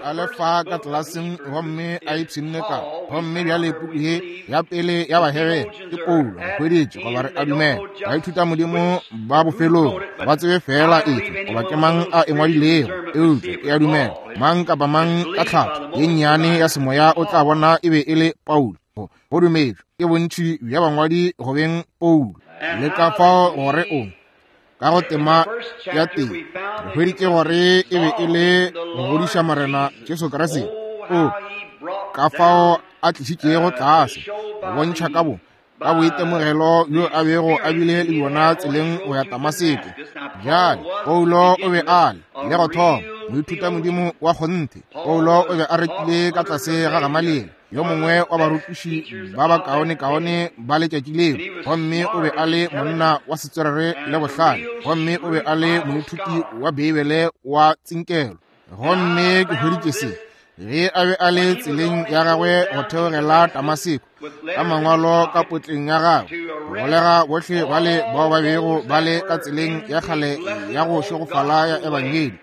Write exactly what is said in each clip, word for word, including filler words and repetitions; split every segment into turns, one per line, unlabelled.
A le fa ka tlelaseng gomme a ipshinne ka gomme bjale puku ye ya pele ya Bahebere ke Paulo re hweditše goba re a dumela baithuta modimo ba bofelong ga ba tsebe fela efe goba ke mang a e ngwadilego eupša ke a dumela mang kapa mang ka tlhatho ye nnyane ya semoya o tla bona e be e le Paulo. Go dumetšwe ke bontši bja bangwadi go beng Paulo le ka fao gore o ka go tema ya teng re hweditše gore e be e le go godiša Morena Jesu Kriste o ka fao a tlišitšego tlase go bontšha ka bo ka boitemogelo bjo a bego a bile le bjona tseleng go ya Damaseko. Bjale Paulo o be a le le go thoma moithuta modimo wa kgonthe. Paulo o be a rekile ka tlase ga Gamaliele, yo mongwe wa barutiši ba bakaonekaone ba letšatši leo, gomme o be a le monna wa setswerere le bohlale, gomme o be a le moithuti wa Beibele wa tsinkelo. Gomme ke hweditše se ge a be a le tseleng ya gagwe go theogela Damaseko ka mangwalo ka potleng ya gagwe go golega bohle bale bao ba bego ba le ka tseleng ya kgale ya go šegofala ya ebangedi,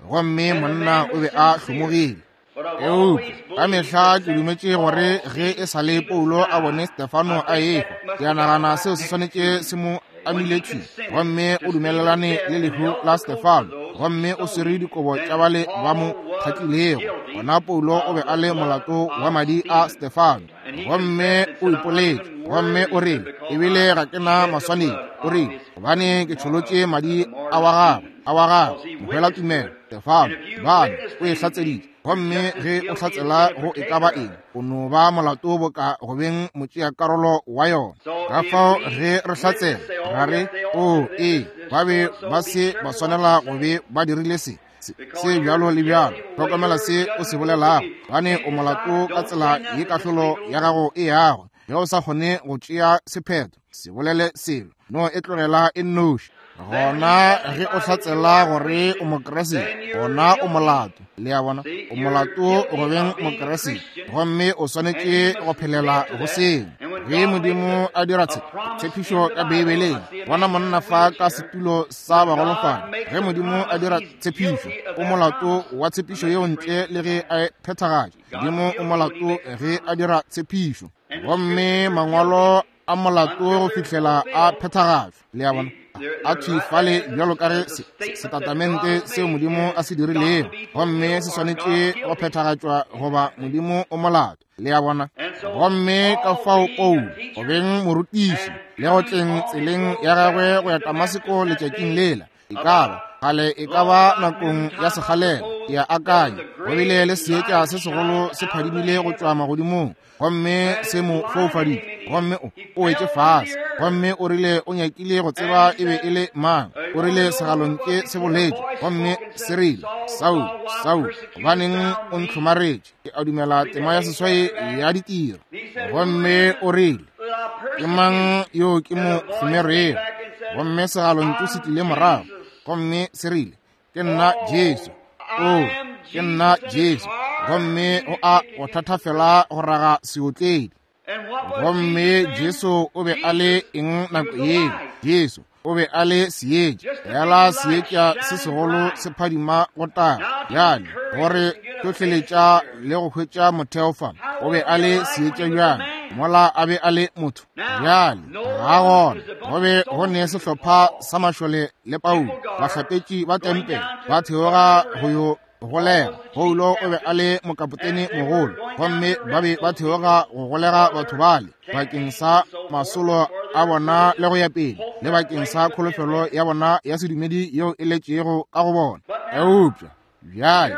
gomme monna o be a hlomogile. Eupša ka mehla ke dumetše gore ge e sa le Paulo a bone Stefano a ehwa, ke a nagana seo se swanetše se mo amile thwi, gomme o dumelelane le lehu la Stefano, gomme o swere dikobo tša bale ba mo kgatlilego. Gona Paulo o be a le molato wa madi a Stefano, gomme o ipoletše, gomme o rile, ebile ga ke na maswanedi, o rile, gobane ke tšholotše madi a wa gagwe, a wa gagwe, mohwela tumelo, Stefano, bane, o e hlatseditše. Gomme ge o hlatsela go e ka ba eng, o no ba molato boka go beng motšeakarolo wa yona. Ka fao ge re hlatsela ra re, o ee, ba be ba se ba swanela go be ba dirile se se bjalo le bjalo. Hlokomela se o se bolelago, gobane o molato ka tsela ye kahlolo ya gago e yago. Ge o sa kgone go tšea sephetho, se bolele selo, no e tlogela e nnoši. Gona ge o hlatsela gore o Mokriste, gona o molato. Le a bona, o molato go beng Mokriste, gomme o swanetše go phelela go seo. Ge Modimo a dira tshepišo ka Beibeleng, bona monna fa ka setulo sa bagolofadi, ge Modimo a dira tshepišo, o molato wa tshepišo yeo ntle le ge a e phethagatša. Modimo o molato ge a dira tshepišo, gomme mangwalo a molato go fihlela a phethagatšwa. Le a bona, a thwi fale bjalo ka ge setatamente seo Modimo a se dirilego, gomme se swanetše go phethagatšwa goba Modimo o molato. Le a bona, gomme ka fao Paulo go beng morutiši le go tleng tseleng ya gagwe go ya Damaseko letšatšing lela, e ka ba kgale, e ka ba nakong ya sekgalela, ke a akanya go bile le seetša se segolo se phadimile go tšwa magodimong, gomme se mo foufaditše, gomme o o wetše fase, gomme o rile o nyakile go tseba e be e le mang. O rile segalontše se boletše, gomme se rile, Saul, Saul, gobaneng o ntlhomaretše? Ke a dumela tema ya seswai ya ditiro. Gomme o rile, ke mang yo ke mo hlomerego? Gomme segalontšu se tlile morago, gomme se rile, ke nna Jesu. O, ke nna Jesu. Gomme go a go thatafela go raga seotledi. Gomme Jesu o be a le eng nako yeo? Jesu o be a le seetša, fela seetša se segolo se phadima go taga. Bjale gore hlohleletša le go hwetša motheo fa, o be a le seetša bjang mola a be a le motho? Bjale ga gona go be go ne sehlopha sa mašole le Paulo, bahlapetši ba tempele ba theoga go yo golega. Paulo o be a le mokapotene mogolo, gomme ba be ba theoga go golega batho bale bakeng sa masolo a bona le go ya pele, le bakeng sa kholofelo ya bona ya sedumedi yeo e letšego ka go bona. Eupša bjale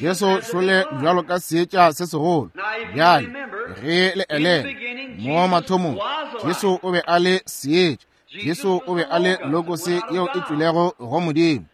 Jesu šole bjalo ka seetša se segolo. Bjale ge le elela mo mathomong, Jesu o be a le seetša. Jesu o be a le logose yeo e tšwilego go Modimo,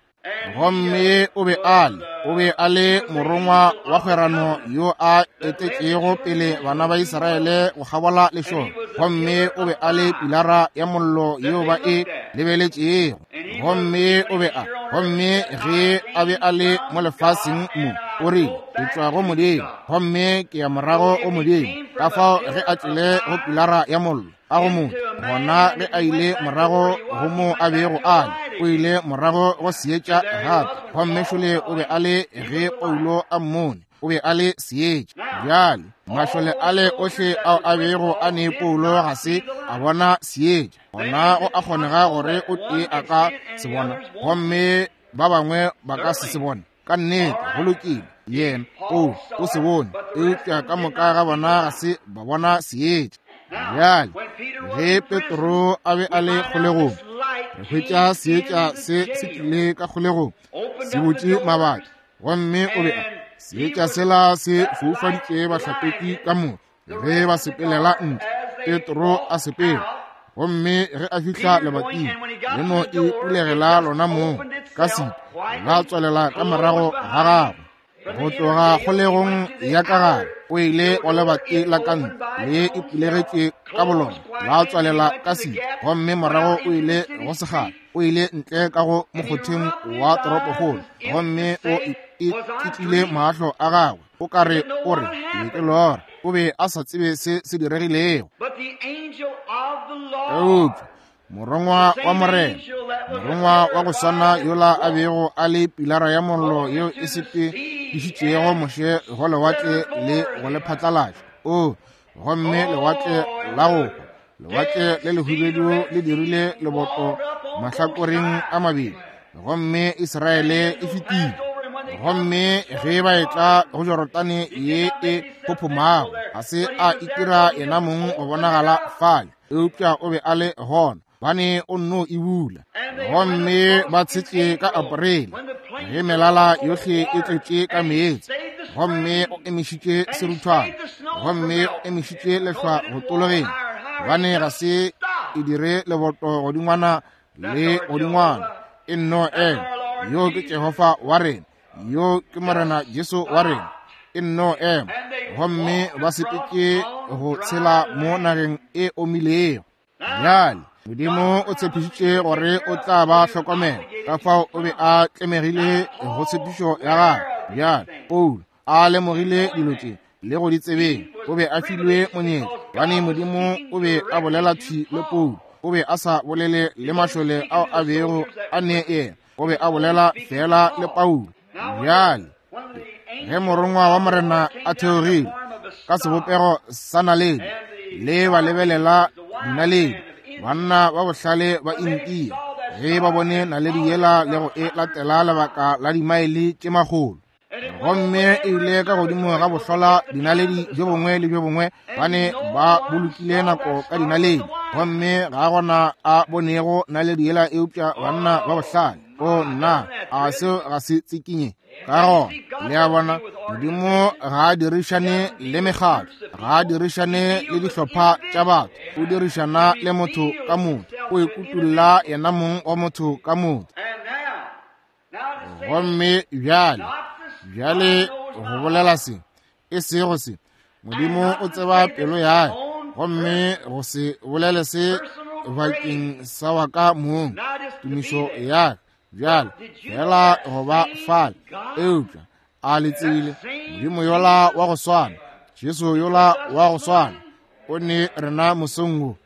gomme o be a le o be a le morongwa wa kgwerano yo a etetšego pele bana ba Israele go kgabola lešoro, gomme o be a le pilara ya mollo yeo ba e lebeletšego. Gomme o be a gomme ge a be a le mo lefaseng mo, o rile, ke tšwa go Modimo, gomme ke ya morago go Modimo. Ka fao ge a tšwele go pilara ya mollo a go motho, gona ge a ile morago go mo a bego a le, O ile morago go seetša gape, gomme šole o be a le ge Paulo a mmone, o be a le seetša. Bjale mašole ale ohle ao a bego a ne Paulo ga se a bona seetša, gona go a kgonega gore o tee a ka se bona gomme ba bangwe ba ka se se bone. Ka nnete, go lokile, yena o o se bone, eupša ka moka ga bona ga se ba bona seetša. Bjale ge Petro a be a le kgolegong, re hwetša seetša se se tlile ka kgolegong, se butše mabati, gomme o be a seetša sela se foufaditše bahlapetši ka moka ge ba sepelela ntle. Petro a sepela, gomme ge a fihla lebating, le no e pulegela lona mong ka setu, la tswalela ka morago ga gagwe. Go tloga kgolegong ya ka gare o ile go lebati la ka ntle, le e pulegetše ka bolona, la tswalela ka setu, gomme morago o ile go segala, o ile ntle ka go mokgotheng wa toropokgolo, gomme o e kitlile mahlo a gagwe, o ka re o re ke lora. O be a sa tsebe se se diregilego. Eupša morongwa wa Morena, morongwa wa go swana yola a bego a le pilara ya mollo yeo e sepedišitšego Moshe go lewatle le go le phatlalatša, o gomme lewatle la go hwa, lewatle le lehubedu le dirile leboto mahlakoreng a mabedi, gomme Israele e fetile. Gomme ge ba etla go Jorodane ye e phophomago, ga se a itira yena mong go bonagala fale, eupša o be a le gona, bane o nno e bula. Gomme ba tshetše ka Aprele ge melala yohle e tletše ka meetse, gomme o emišitše seruthwana, gomme o emišitše lehlwa go tologeng, gobane ga se e dire leboto godingwana le godingwana, e nno ema. Yo ke Jehofa wa rena, yo ke Morena Jesu wa rena, e nno ema. Gomme ba sepetše go tshela mo nageng e omilego. Bjale Modimo o tshepišitše gore o tla ba hlokomela, ka fao o be a tlemegile go tshepišo ya gagwe. Bjale Paulo a lemogile dilo tše le go di tsebeng, o be a filwe monyetla, gobane Modimo o be a bolela thwi le Paulo, o be a sa bolele le mašole ao a bego a ne yena, o be a bolela fela le Paulo. Bjale ge morongwa wa Morena a theogile ka sebopego sa naledi, le ba lebelela dinaledi, banna ba bohlale ba India ge ba bone naledi yela le go e latela lebaka la dimaele tše makgolo, gomme e ile ka godimo ga bohlola dinaledi bjo bongwe le bjo bongwe, bane ba bolokile nako ka dinaledi, gomme ga gona a bonego naledi yela eupša banna ba bohlale. O nna, a seo ga se tsikinye? Ka gona le a bona, Modimo ga a dirišane le mekgatlo, ga a dirišane le dihlopha tša batho, o dirišana le motho ka motho, o ikutulla yena mong wa motho ka motho. Gomme bjale, bjale go bolela se, e sego se, Modimo o tseba pelo ya, gomme go se bolele se bakeng sa wa ka mong, tumišo ya bjale fela go ba fale. Eupša a le tsebile, Modimo yola wa go swana, Jesu yola wa go swana, o ne rena mosong wo.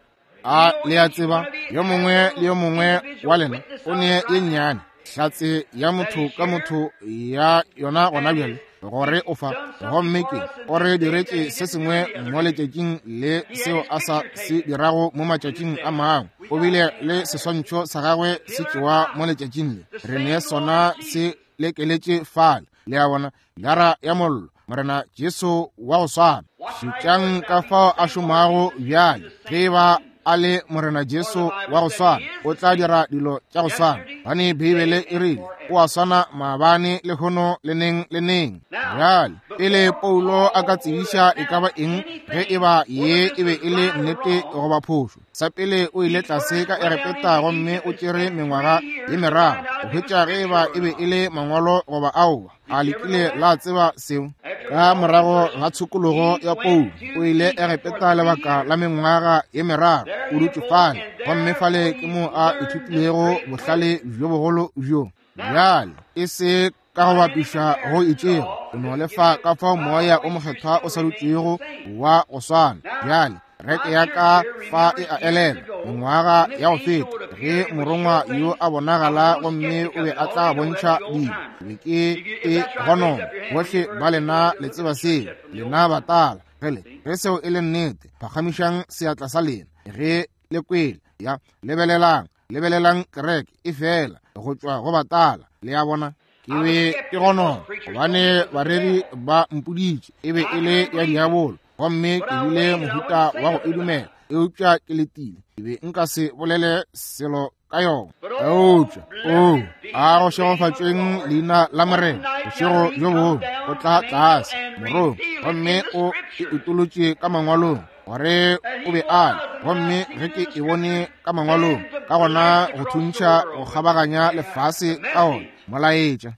A le a tseba, yo mongwe le yo mongwe wa lena o ne ye nnyane hlatse ya motho ka motho ya yona gona bjale, gore o fa, gomme ke o re diretše se sengwe mo letšatšing le seo a sa se dirago mo matšatšing a mangwe. O bile le seswantšho sa gagwe se tšewa mo letšatšing le, re ne sona se lekeletše fale. Le a bona, lara ya mollo, Morena Jesu wa go swana. Šetšang ka fao a šomago bjale. Ge ba a le Morena Jesu wa go swana, o tla dira dilo tša go swana, gobane Beibele e rile o a swana maabane, lehono le neng le neng. Bjale pele Paulo a ka tsebiša e ka ba eng, ge e ba ye e be e le nnete goba phošo, sa pele o ile tlase ka Egepeta gomme o tšere mengwaga ye meraro go hwetša ge e ba e be e le mangwalo goba aowa. A le kile la tseba seo? Ka morago ga tshokologo ya Paulo, o ile Egepeta lebaka la mengwaga ye meraro, o dutše fale, gomme fale ke mo a ithutilego bohlale bjo bogolo bjo. Bjale e se ka go bapiša go itšego, o no lefa ka fao moya o mokgethwa o sa dutšego wa go swana. Bjale reke ya ka fa e a elela mengwaga ya go feta, Ge morongwa yo a bonagala gomme o be a tla bontšha dilo, be ke e gonona. Bohle ba lena le tseba seo, lena batala. Gele, ge seo e le nnete, phagamišang seatla sa lena. Ge le kwele, ya, lebelelang, lebelelang kereke e fela go tšwa go batala. Le a bona? Ke be ke gonona gobane bareri ba mpoditše e be e le ya diabolo, gomme ke bile mohuta wa go e dumela, eupša ke letile. Ke be nka se bolele selo ka yona. Eupša o a go šegofatšweng leina la Morena, bošego bjo bongwe o tla tlase morong gomme o e utolotše ka mangwalong gore o be a le, gomme ge ke e bone ka mangwalong, ka gona go thuntšha go kgabaganya lefase ka ona molaetša.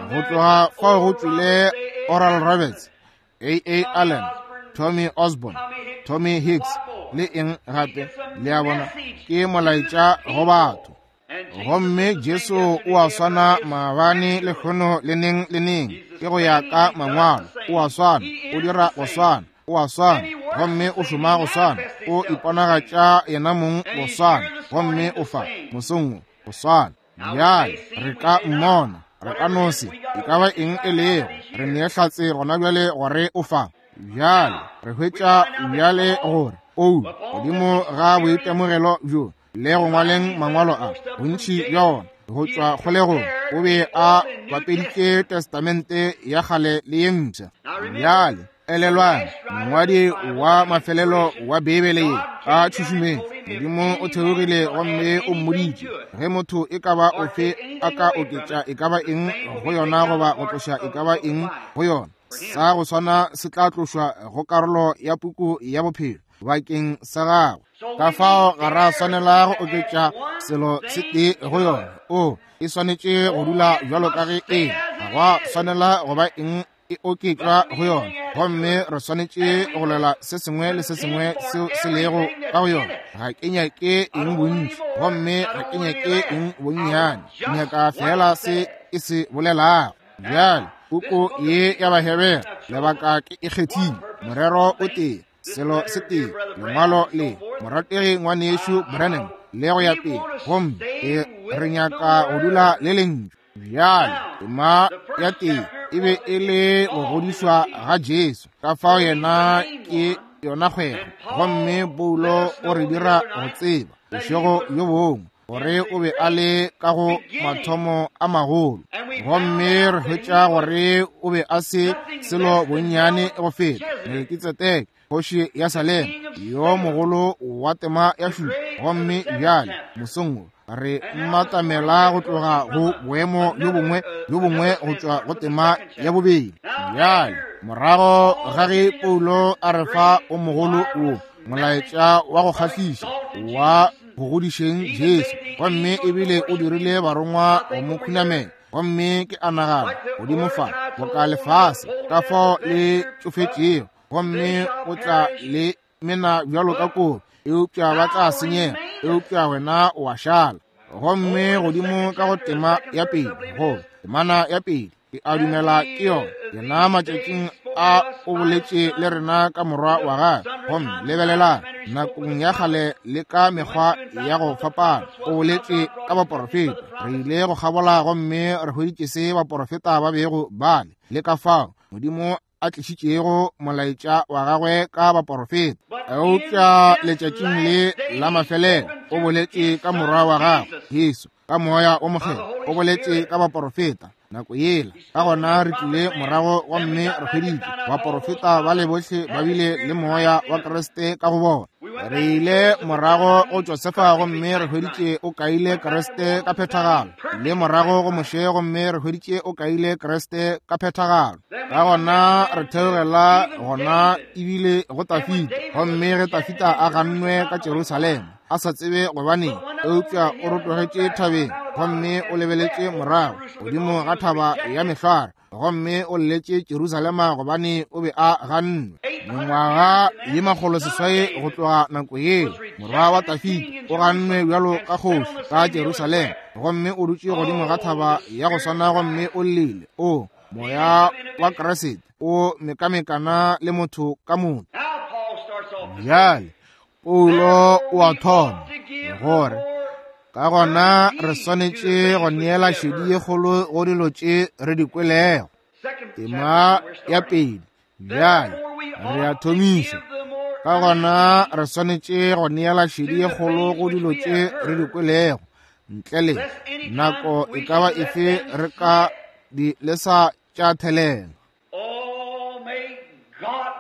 Go tloga fao go tšwile Oral Roberts, A A Allen, Tommy Osborne, Tommy Hicks le eng gape. Le a bona, ke molaetša go batho. Gomme Jesu o a swana maabane, lehono le neng le neng. Ke go ya ka mangwalo, o a swana, o dira go swana, o a swana, gomme o šoma go swana, o iponagatša yena mong go swana, gomme o fa mosong wo go swana. Bjale re ka mmona, re ka no se, e ka ba eng e lego, re nee hlatse gona bjale gore o fa. Bjale re hwetša bjale gore Paulo godimo ga boitemogelo bjo le go ngwaleng mangwalo a bontši bja ona go tšwa kgolegong, o be a bapeditše testamente ya kgale le ye mpsha. Bjale elelwang, mongwadi wa mafelelo wa Beibele ye a tšhušumeng, Modimo o theogile gomme o mmoditše ge motho e ka ba ofe a ka oketša e ka ba eng go yona goba go tloša e ka ba eng go yona, sa go swana se tla tlošwa go karolo ya puku ya bophelo bakeng sa gagwe. Ka fao ga ra swanela go oketša selo se tee go yona. O e swanetše go dula bjalo ka ge e, ga gwa swanela go ba eng e oketšwa go yona, gomme re swanetše go lwela se sengwe le se sengwe seo se lego ka go yona. Ga ke nyake eng bontši, gomme ga ke nyake eng bonnyane, ke nyaka fela se e se bolelago. Bjale puku ye ya Bahebere, lebaka ke e kgethile, morero o tee, selo se tee, lengwalo le morategi ngwanešu Branham le go ya pele, gomme e re nyaka go dula le lentšu. Bjale tema ya tee e be e le go godišwa ga Jesu, ka fao yena ke yona kgwego, gomme Paulo o re dira go tseba bošego bjo bongwe gore o be a le ka go mathomo a magolo, gomme re hwetša gore o be a se selo bonnyane go feta Melkitsedeke, kgoši ya Salem, yo mogolo wa tema ya šupa. Gomme bjale mosong wo re mmatamela go tloga go boemo bjo bongwe bjo bongwe go tšwa go tema ya bobedi. Bjale morago ga ge Paulo a re fa o mogolo wo molaetša wa go kgahliša wa go godišeng Jesu, gomme ebile o dirile barongwa go mo khunamela, gomme ke a nagana godimo fa boka lefase ka fao le tšofetšego, gomme o tla le mena bjalo ka koro, eupša ba tla senyega, eupša wena o a šala. Gomme godimo ka go tema ya pele, go temana ya pele, ke a dumela ke yona, yena matšatšing a o boletše le rena ka morwa wa gagwe, gomme lebelelang nakong ya kgale le ka mekgwa ya go fapana o boletše ka baporofeta. Re ile go kgabola gomme re hweditše se baporofeta ba bego ba le, le ka fao Modimo a tlišitšego molaetša wa gagwe ka baporofeta. Eupša letšatšing le la mafelelo o boletše ka morwa wa gagwe Jesu, ka moya o mokgethwa, o boletše ka baporofeta nako yela. Ka gona re tlile morago gomme re hweditše baporofeta ba le bohle ba bile le moya wa Kriste ka go bona. Re ile morago go Josefa gomme re hweditše o kaile Kriste ka phethagalo, le morago go Moshe gomme re hweditše o kaile Kriste ka phethagalo. Ka gona re theogela gona ebile go Tafita, gomme ge Tafita a gannwe ka Jerusalema a sa tsebe gobaneng, eupša o rotogetše thabeng gomme o lebeletše morago godimo ga thaba ya mehlware, gomme o lletše Jerusalema gobane o be a gannwe. Mengwaga ye makgolo seswai go tloga nako yeo, morwa wa Tafita o gannwe bjalo ka kgoši ka Jerusalema, gomme o dutše godimo ga thaba ya go swana gomme o llile. O moya wa Kriste o mekamekana le motho ka motho. Bjale Paulo o a thoma gore Ka gona re swanetše go neela šedi ye kgolo go dilo tše re di kwelego. Tema ya pedi bjale re a thomiša. Ka gona re swanetše go neela šedi ye kgolo go dilo tše re di kwelego, ntle le nako e ka ba efe re ka di lesa tša thelela.
Oh, may God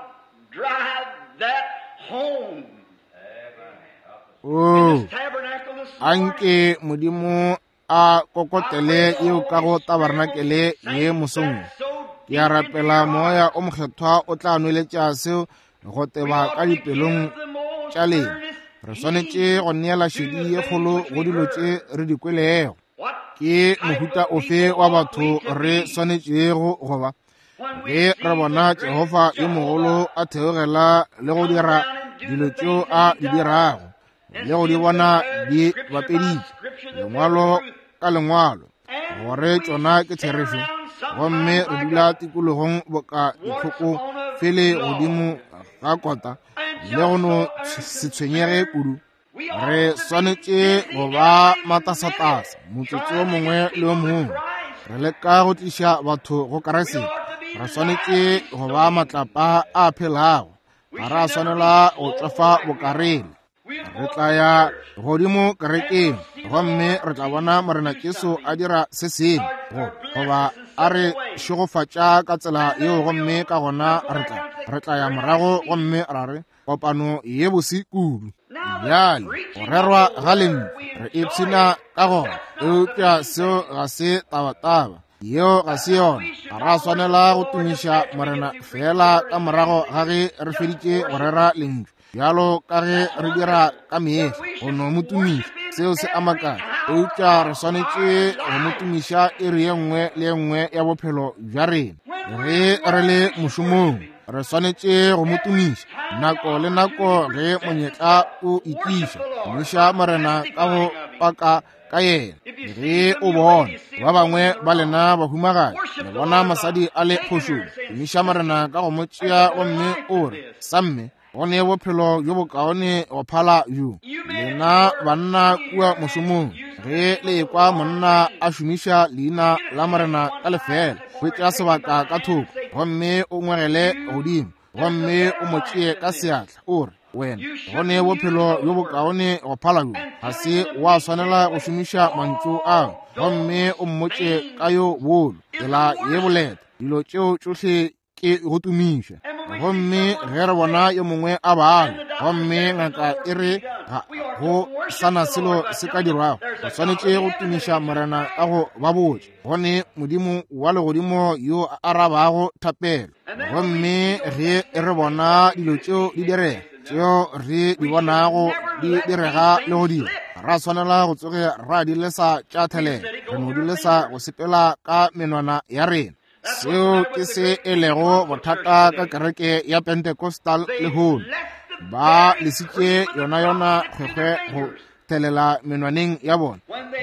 drive that home.
Oh,
This tabernacle this morning.
anke Modimo a kokotele yeo ka go tabarnakele ye mosong. Ke a rapela moya o mokgethwa o tla nweletša seo go teba ka dipelong tša lena. Re swanetše go neela šedi ye kgolo go dilo tše re di kwelego. Ke mohuta ofe wa batho re swanetšego go ba ge re bona Jehofa yo mogolo a theogela le go dira dilo tšeo a di dirago le go di bona di bapeditše lengwalo ka lengwalo gore tšona ke therešo, gomme re dula tikologong boka ditlhoko fele godimo ga kota le go no se tshwenyege kudu. Re swanetše go ba matasatasa motsotso o mongwe le o mongwe, re leka go tliša batho go Kriste. Re swanetše go ba matlapa a phelago, ga ra swanela go tšwafa bokarele. Re tla ya godimo kerekeng gomme re tla bona Morena Jesu a dira se sengwe goba a re šegofatša ka tsela yeo, gomme ka gona re tla re tla ya morago gomme ra re kopano ye bose kudu. Bjale go rerwa ga lentšu re ipshina ka gona, eupša seo ga se tabataba, yeo ga se yona. Ga ra swanela go tumiša Morena fela ka morago ga ge re feditše go rera lentšu, bjalo ka ge re dira ka mehla go no mo tumiša, seo se a makatša, eupša re swanetše go mo tumiša iri ye nngwe le ye nngwe ya bophelo bja rena. Ge re le mošomong re swanetše go mo tumiša nako le nako ge monyetla o itliša. Tumiša Morena ka go paka ka yena. Ge o bona ba bangwe ba lena bahumagadi le bona mosadi a le phošong, tumiša Morena ka go mo tšea gomme o re, samme go ne bophelo bjo bokaone go phala bjo. Lena banna kua mošomong, ge le ekwa monna a šomiša leina la Morena ka lefela, hwetša sebaka ka thoko gomme o ngwegele godimo gomme o mo tšee ka seatla, o re, wena go ne bophelo bjo bokaone go phala bjo. Ga se wa swanela go šomiša mantšu ao, gomme o mmotše ka yo bolo tsela ye boleta. Dilo tšeo tšohle ke go tumiša. Gomme ge re bona yo mongwe a bala gomme ngaka e re ga go sana selo se ka dirwago, re swanetše go tumiša Morena ka go ba botša go ne Modimo wa legodimo yo a arabago thapelo. Gomme ge re bona dilo tšeo di direga, tšeo re di bonago di direga le go dira, ra swanela go tsoge ra di lesa tša thelela, re no di lesa go sepela ka menwana ya rena. Seo ke se e lego bothata ka kereke ya Pentecostal lehono. Ba lesitše yona yona kgwekgwe go thelela menwaneng ya bona,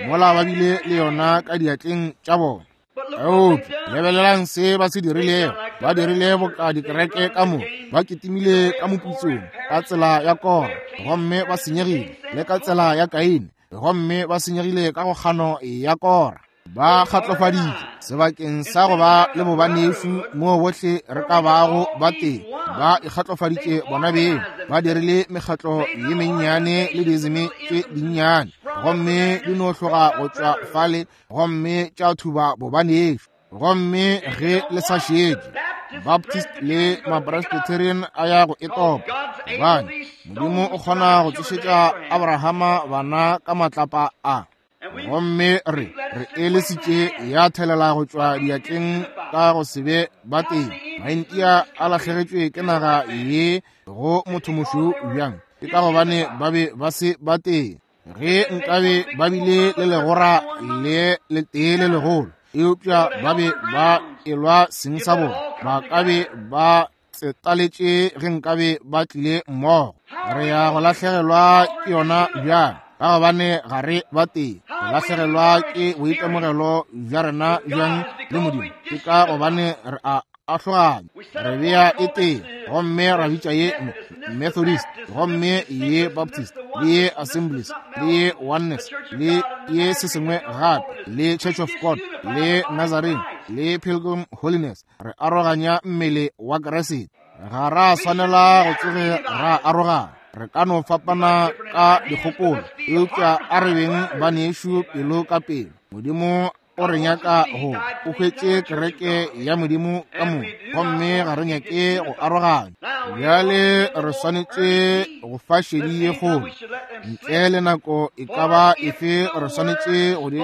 mola ba bile le yona ka diatleng tša bona. Eupša lebelelang se ba se dirilego. Ba dirile boka dikereke ka moka, ba kitimile ka moputsong ka tsela ya Kora, gomme ba senyegile le ka tsela ya Kaine, gomme ba senyegile ka go kgano ya Kora. Ba kgatlofaditše sebakeng sa go ba le bobanešu moo bohle re ka bago ba teng. Ba ikgatlofaditše bona beng, ba dirile mekgatlo ye mennyane le dizime tše dinnyane, gomme di no hloga go tšwa fale gomme tša thuba bobanešu. Gomme ge le sa šetše, Baptist le Mapresbyterian a ya go e topa, gobane Modimo o kgona go tsošetša Abrahama bana ka matlapa a. Gomme re re elesitše ya thelela go tšwa diatleng ka go se be ba teng. Maintia a lahlegetšwe ke naga ye go mothomošweu bjang? Ke ka gobane ba be ba se ba teng. Ge nkabe ba bile le legora le letee le legolo, eupša ba be ba elwa seng sa bona, ba ka be ba tsetaletše ge nkabe ba tlile mmogo. Re ya go lahlegelwa ke yona bjang? Ka gobane ga re ba tee. Re lahlegelwa ke boitemogelo bja rena bjang le Modimo? Ke ka gobane re a ahloganya. Re bea e tee, gomme ra bitša ye Methodist, gomme ye Baptist, le ye Assemblies, le ye Oneness, le ye se sengwe gape, le Church of God, le Nazarene, le Pilgrim Holiness. Re aroganya mmele wa Kriste. Ga ra swanela go tsoge ra arogana. Re ka no fapana ka dikgopolo, eupša a re beng banešu pelo ka pelo. Modimo o re nyaka go o hwetše kereke ya Modimo ka moka, gomme ga re nyake go aroganya. Bjale re swanetše go fa šedi ye kgolo. Ntle le nako e ka ba efe re swanetše go di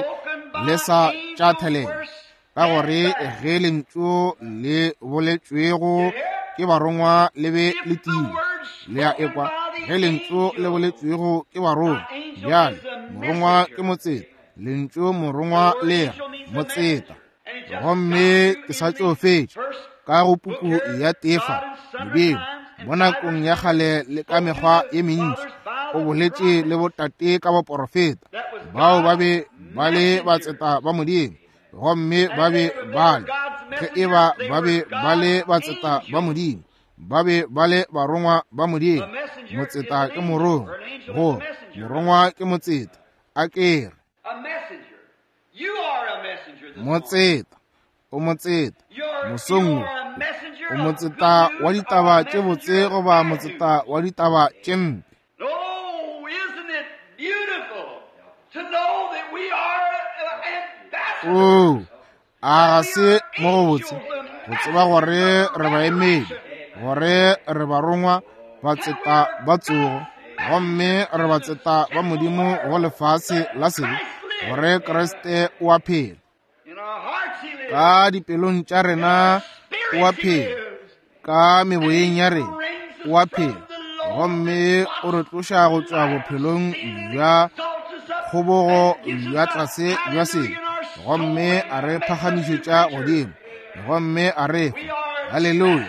lesa tša thelela, ka gore ge lentšu le boletšwego ke barongwa le be le tiile. Le a ekwa? Ge lentšu le boletšwego ke barongwa, bjale morongwa ke motseta, lentšu morongwa le motseta. Gomme ke sa tšo fetša ka go puku ya Tefa. Modimo mo nakong ya kgale le ka mekgwa ye mentši o boletše le botate ka baporofeta, bao ba be ba le batseta ba Modimo, gomme ba be ba le, ge e ba ba be ba le batseta ba Modimo, ba be ba le barongwa ba Modimo. Motseta ke morongwa, go morongwa ke motseta. A ke re motseta, o motseta mosong, o motseta wa ditaba tše botse goba motseta wa ditaba tše mpe. Oo, a ga se mo go botse go tseba gore re baemedi, gore re barongwa batseta ba tsogo, gomme re batseta ba Modimo go lefase la sebe, gore Kriste o a phela ka dipelong tša rena, o a phela ka meboyeng ya rena, o a phela, gomme o re tloša go tšwa bophelong bja kgobogo bja tlase bja sebe, gomme a re phagamišetša godimo, gomme a re fa haleluya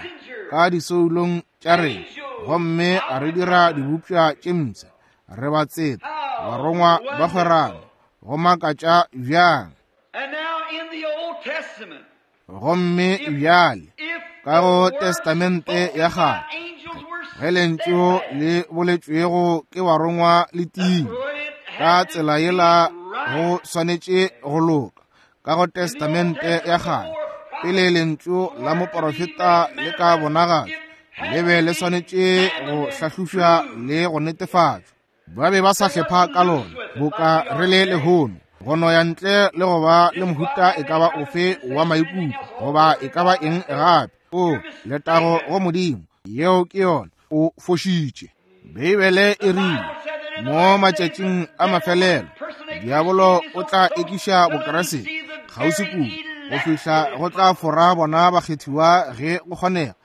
ka disoulong tša rena, gomme a re dira dibopša tše mpsha. Re batseta, barongwa ba kgwerano. Go makatša bjang! Gomme bjale ka go Testamente ya kgale, ge lentšu le boletšwego ke barongwa le tiile ka tsela yela go swanetše go loka. Ka go Testamente ya kgale, pele lentšu la moporofeta le ka bonagatšwa, le be le swanetše go hlahlošwa le go netefatšwa. Ba be ba sa hlepha ka lona boka re le lehono, go no ya ntle le go ba le mohuta e ka ba ofe wa maikutlo goba e ka ba eng gape. O letago go Modimo, yeo ke yona. O fošitše. Beibele e rile mo matšatšing a mafelelo diabolo o tla ekiša Bokriste kgauswi kudu go fihla go tla fora bona bakgethiwa ge go kgonega.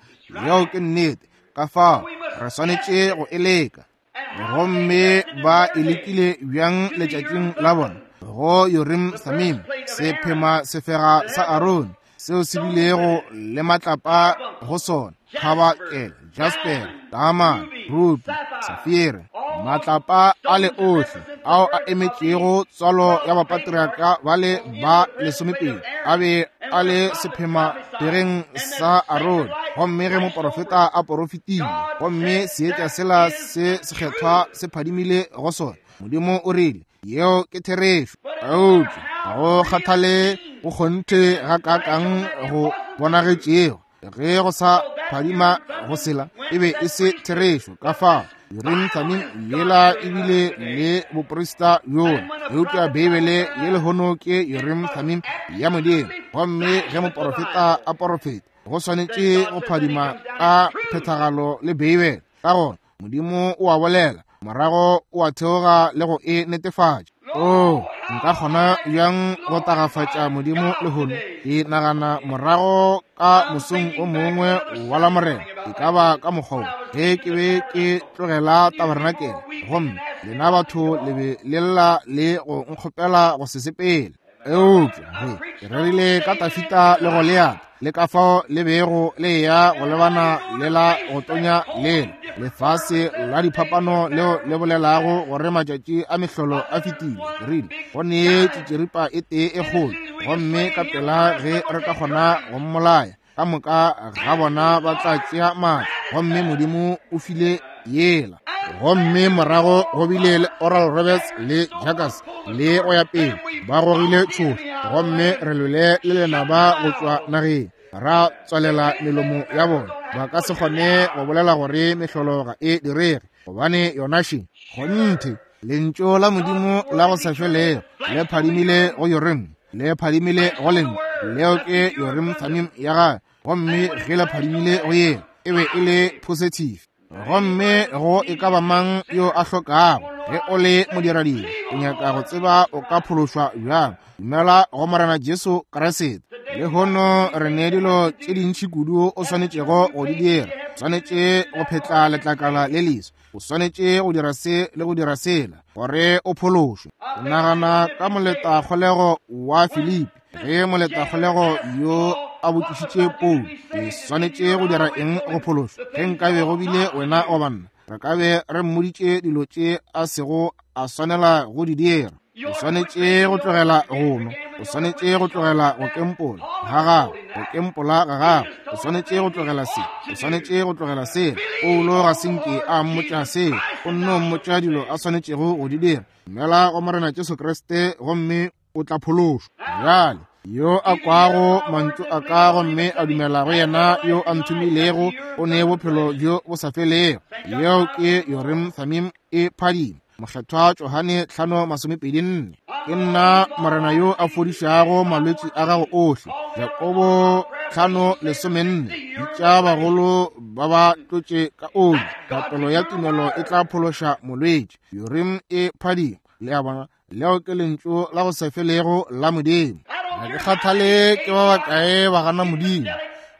Yeo ke nnete. Ka fao re swanetše go e leka. Gomme ba e lekile bjang letšatšing la bona? Go Urim Thummim, sephema sefega sa Arone, seo se bilego le matlapa go sona, kgabakele, jasper, diamond, ruby, safire, matlapa a le ohle ao a emetšego tswalo ya bapatriaka ba le ba lesomepedi a be a le sephema pereng sa Arone. Gomme ge moporofeta a porofetile, gomme seetša sela se sekgethwa se phadimile go sona, Modimo o rile, yeo ke therešo. Eupša ga go kgathale go kgonthe ga kakang go bonagetšego, ge go sa phadima go sela, e be e se therešo. Ka fao Urim Thummim yela ebile le boprista bjola, eupša Beibele ye lehono ke Urim Thummim ya Modimo. Gomme ge moporofeta a porofeta, go swanetše go phadima ka phethagalo le Beibele. Ka gona Modimo o a bolela, morago o a theoga le go e netefatša. O nka kgona bjang go tagafatša Modimo lehono? Ke nagana morago ka mosong o mongwe wa Lamorena, e ka ba ka mokgwa wo, ge ke be ke tlogela tabernakel, gomme lena batho le be le lla le go nkgopela go se sepele. Eupša ge ke rerile ka Tafita le Goliata, le ka fao le bego le ya go lebana le la go tonya lela lefase la diphapano leo le bolelago gore matšatši a mehlolo a fetile, ke rile go nee tšitširipa e tee e kgolo, gomme ka pela ge re ka kgona go mmolaya Ka moka ga bona ba tla tšea maatla, gomme Modimo o file yela. Gomme morago go bile le Oral Roberts le Jackass le go ya pele, ba gogile tšhoša, gomme re lwele le lenaba go tšwa nageng, ra tswalela melomo ya bona. Ba ka se kgone go bolela gore mehlolo ga e direge, gobane yona še. Kgonthe, lentšu la Modimo la go sa felego le phadimile go Urim, le phadimile go lentšu, leo ke Urim Thummim ya gagwe, gomme ge le phadimile go yena, e be e le positive. Gomme go e ka ba mang yo a hlokago, ge o le modiradiri, o nyaka go tseba o ka phološwa bjang, dumela go Morena Jesu Kriste. Lehono re ne dilo tše dintši kudu o swanetšego go di dira. O swanetše go phetla letlakala le leso, o swanetše go dira se le go dira sela gore o phološwe. O nagana ka moletakgolego wa Filipi, ge moletakgolego yo a botšišitše Paulo, ke swanetše go dira eng go phološwa? Ge nkabe go bile wena goba nna, re ka be re mmoditše dilo tše a sego a swanela go di dira. O swanetše go tlogela go nwa, o swanetše go tlogela go kempola ga gago, go kempola ga gago, o swanetše go tlogela se, o swanetše go tlogela sela. Paulo ga se nke a mmotša seo, o nno mmotša dilo a swanetšego go di dira. Dumela go Morena Jesu Kriste gomme o tla phološwa. Bjale yo a kwago mantšu a ka gomme a dumela go yena yo a nthomilego, o ne bophelo bjo bo sa felego. Yeo ke Urim Thummim e phadima. Mokgethwa Johane hlano masomepedi nne. Ke nna Morena yo a fodišago malwetši a gago ohle. Jakobo hlano lesomenne. Bitša bagolo ba ba tlotše ka oli. Thapelo ya tumelo e tla phološa molwetši. Urim e phadima. Le a bona, leo ke lentšu la go se felego la Modimo. Ga ke kgathale ke ba bakae ba gana Modimo,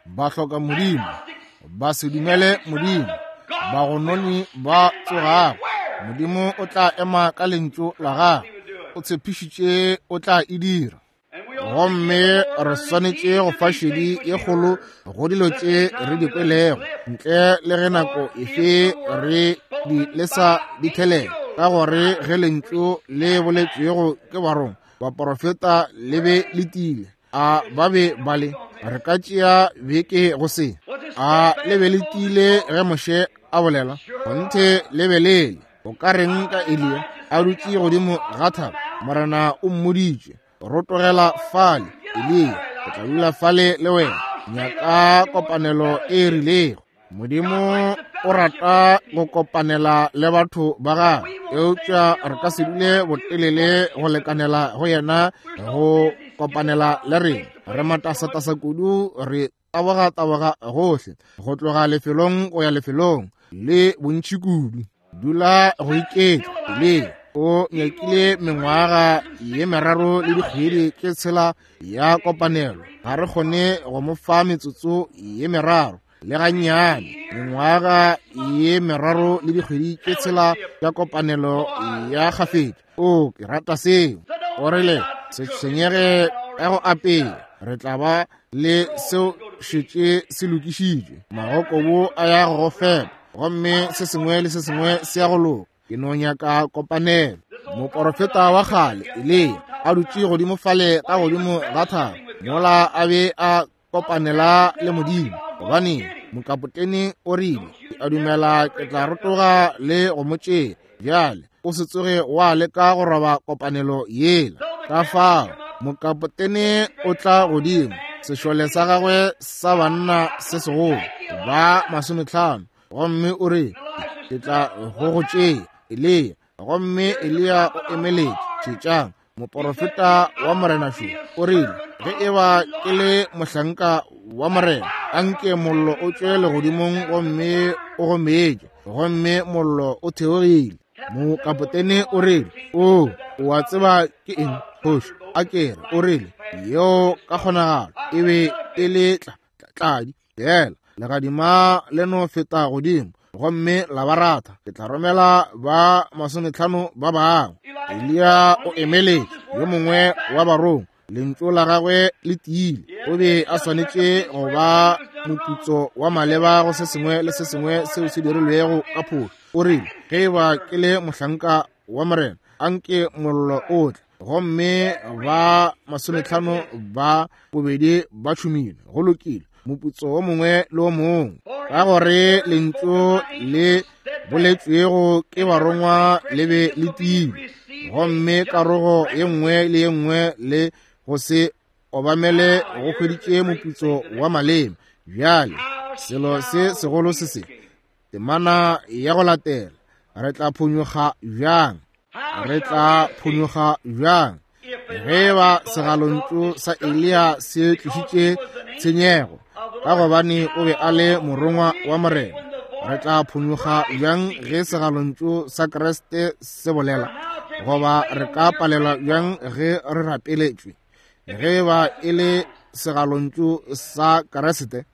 ba hloka Modimo, ba se dumele Modimo, bagononi ba tsogago, Modimo o tla ema ka lentšu la gagwe. O tshepišitše o tla e dira. Gomme re swanetše go fa šedi ye kgolo go dilo tše re di kwelego, ntle le ge nako efe re di lesa di thelela, ka gore ge lentšu le boletšwego ke barongwa baporofeta le be le tiile, a ba be ba le, re ka tšea beke go se, a le be le tiile ge Moshe a bolela, kgonthe le be le le. O ka reng ka Eliya a dutše godimo ga thaba? Morena o mmoditše, rotogela fale, Eliya, o tla dula fale le wena. Nyaka kopanelo e rilego. Modimo o rata go kopanela le batho ba gagwe, eupša re ka se dule botelele go lekanela go yena go kopanela le rena. Re matasatasa kudu, re taboga-taboga gohle, go tloga lefelong go ya lefelong, le bontši kudu. Dula go iketla. Eliya o nyakile mengwaga ye meraro le dikgwedi tše tshela ya kopanelo. Ga re kgone go mo fa metsotso ye meraro le gannyane. Mengwaga ye meraro le dikgwedi tše tshela ya kopanelo ya kgafetša. O, ke rata seo. O rile, se tshwenyege ka go apea, re tla ba le seo šetše se lokišitšwe. Magokobo a ya go go fepa, gomme se sengwe le se sengwe se ya go loka. Ke no nyaka kopanelo. Moporofeta wa kgale Eliya a dutše godimo fale ka godimo ga thaba, mola a be a kopanela le Modimo. Gobane mokapotene o rile, ke a dumela ke tla rotoga le go mo tšea. Bjale o se tsoge wa leka go roba kopanelo yela. Ka fao mokapotene o tla godimo, sešole sa gagwe sa banna se segolo ba masometlhano, gomme o re, ke tla go go tšea, Eliya. Gomme Eliya o emeletše. Tšetšang, moporofeta wa Morena šo o rile, ge e ba ke le mohlanka wa Morena, anke mollo o tšwe legodimong gomme o go metše. Gomme mollo o theogile. Mokapotene o rile, o, o a tseba ke eng, kgoši? A kere o rile, yeo ka kgonagalo e be e le tla tladi fela, legadima le no feta godimo gomme la ba ratha. Ke tla romela ba masometlhano ba bangwe. Eliya o emeletše, yo mongwe wa barongwa. Lentšu la gagwe le tiile. O be a swanetše go ba moputso wa maleba go se sengwe le se sengwe seo se dirilwego ka phošo. O rile, ge e ba ke le mohlanka wa Morena, anke mollo o tle. Gomme ba masometlhano ba bobedi ba tšhomile. Go lokile. moputso wo mongwe le wo mongwe, ka gore lentšu le boletšwego ke barongwa le be le tiile, gomme karogo ye nngwe le ye nngwe le go se obamele go hweditše moputso wa maleme. Bjale selo se segolo se se temana ya go latela, re tla phonyokga bjang? Re tla phonyokga bjang ge ba segalontšu sa Eliya se tlišitše tshenyego, ka gobane o be a le morongwa wa Morena? Re tla phonyokga bjang ge segalontšu sa Kriste se bolela? Goba re ka palelwa bjang ge re rapeletšwe? Ge ba e le segalontšu sa Kriste,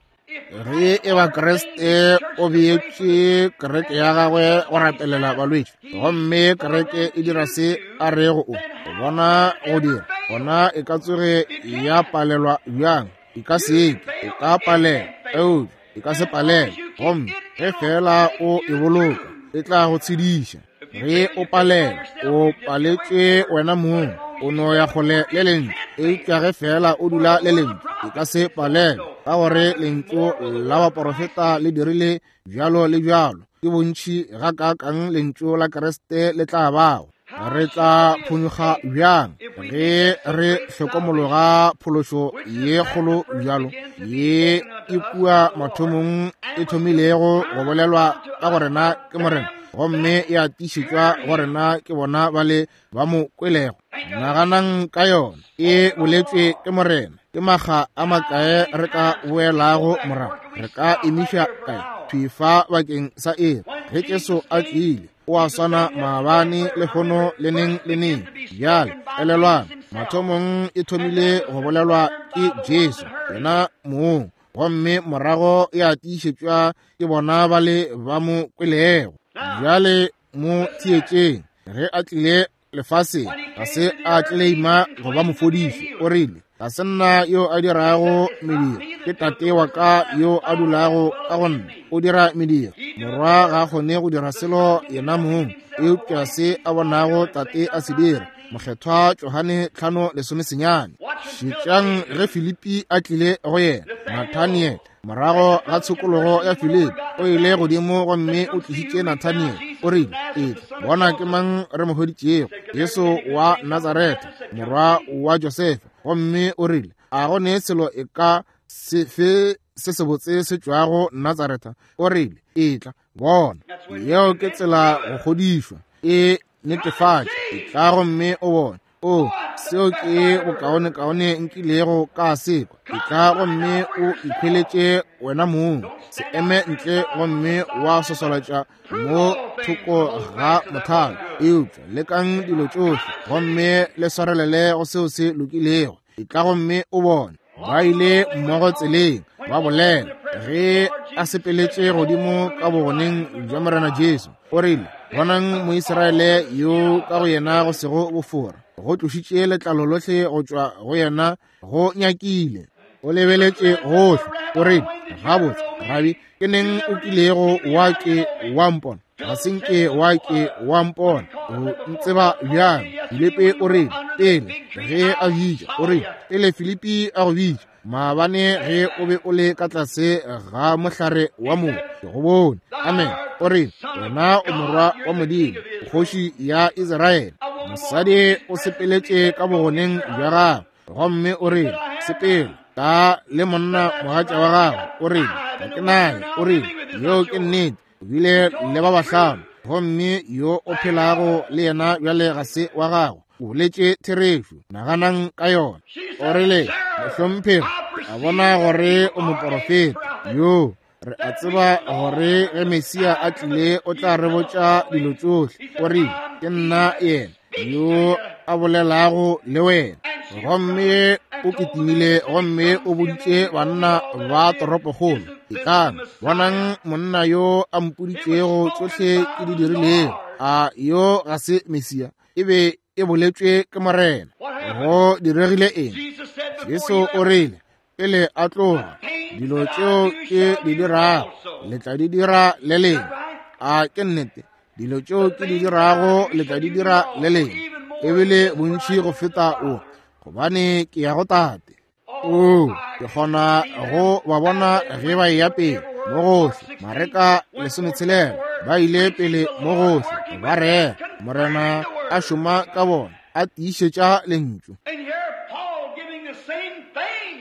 ge e ba Kriste o beetše kereke ya gagwe go rapelela balwetši, gomme kereke e dira se a rego o bona go dira, gona e ka tsoge ya palelwa bjang? E ka se ke, e ka palela, eupša e ka se palele. Gomme ge fela o e boloka, e tla go tshediša. Ge o palela, o paletše wena mong, o no ya kgole le lentšu. Eupša ge fela o dula le lentšu, e ka se palele, ka gore lentšu la baporofeta le dirile bjalo le bjalo. Ke bontši gakaakang lentšu la Kriste le tla bago? Re tla phonyokga bjang ge re hlokomologa phološo ye kgolo bjalo ye e kua mathomong e thomilego go bolelwa ka go rena ke Morena, gomme ya tiišetšwa go rena ke bona ba le ba mo kwelego? Naganang ka yona, e boletšwe ke Morena. Ke makga a makae re ka boelago morago? Re ka emiša kae thwi fa bakeng sa ere? Ge Jesu a tlile, o a swana maabane, lehono, le neng le neng. Bjale elelwang, mathomong e thomile go bolelwa ke Jesu yena mong, gomme morago ya tiišetšwa ke bona ba le ba mo kwelego. Bjale mo theetšeng. Ge a tlile lefaseng, ga se a tleleima go ba mofodiši. O rile, ga se nna yo a dirago mediro, ke Tate wa ka yo a dulago ka go nna, o dira mediro. Morwa ga a kgone go dira selo yena mong, eupša se a bonago Tate a se dira. Mokgethwa Johane tlhano lesome senyane. Šetšang ge Filipi a tlile go yena, Nathaniel. Morago ga tshokologo ya Filipi, o ile godimo gomme o tlišitše Nathaniel. O rile, etla, bona ke mang re mo hweditšego, Jesu wa Nazaretha, morwa wa Josefa. Gomme o rile, a go ne selo e ka sefe se sebotse se tšwago Nazaretha? O rile, etla, bona. Yeo ke tsela go kgodišwa, e netefatše. Etla gomme o bone. O, seo ke bokaonekaone nkilego ka sekwa. Etla gomme o ikhweletše wena mong. Se eme ntle gomme wa sosolatša mo thoko ga mothalo, eupša lekang dilo tšohle gomme le swarelele go seo se lokilego. Etla gomme o bone. Ba ile mmogo tseleng, ba bolela. Ge a sepeletše godimo ka bogoneng bja Morena Jesu, o rile, bonang Moisraele yo ka go yena go sego bofora, go tlošitše letlalo lohle go tšwa go yena, go nyakile. O lebeletše gohle. O rile, gabotse, Rabi, ke neng o kilego wa ke wa mpona? Ga se nke wa ke wa mpona. O ntseba bjang? Filipi o rile, pele ge a bitša, o rile, pele Filipi a go bitša, maabane ge o be o le ka tlase ga mohlare wa moo, ke go bone. Amen. O rile, wena o morwa wa Modimo, kgoši ya Israele. Mosadi o sepeletše ka bogoneng bja gagwe, gomme o rile, sepela ka le monna mogatša wa gagwe. O rile, ga ke naye. O rile, yeo ke nnete, o bile le ba bahlano, gomme yo o phelago le yena bjale ga se wa gago. O boletše therešo. Naganang ka yona. O rile, mohlomphegi, a bona gore o moporofeta yo. Re a tseba gore ge Mesia a tlile o tla re botša dilo tšohle. O rile, ke nna yena yo a bolelago le wena. Gomme o kitimile gomme o boditše banna ba toropokgolo, etlang, bonang monna yo a mpoditšego tšohle ke di dirilego. A yo ga se Mesia? E be e boletšwe ke Morena. Go diregile eng? Jesu o rile, pele a tloga, dilo tšeo ke di dirago le tla di dira le leng. A ke nnete? Dilo tšeo ke di dirago le tla di dira le leng, ebile bontši go feta o, gobane ke ya go Tate. Oo, ke kgona go ba bona ge ba eya pele mo gohle. Mareka lesometshelela ba ile pele mo gohle, ba rera, Morena a šoma ka bona, a tiišetša lentšu.
And here Paul giving the same thing.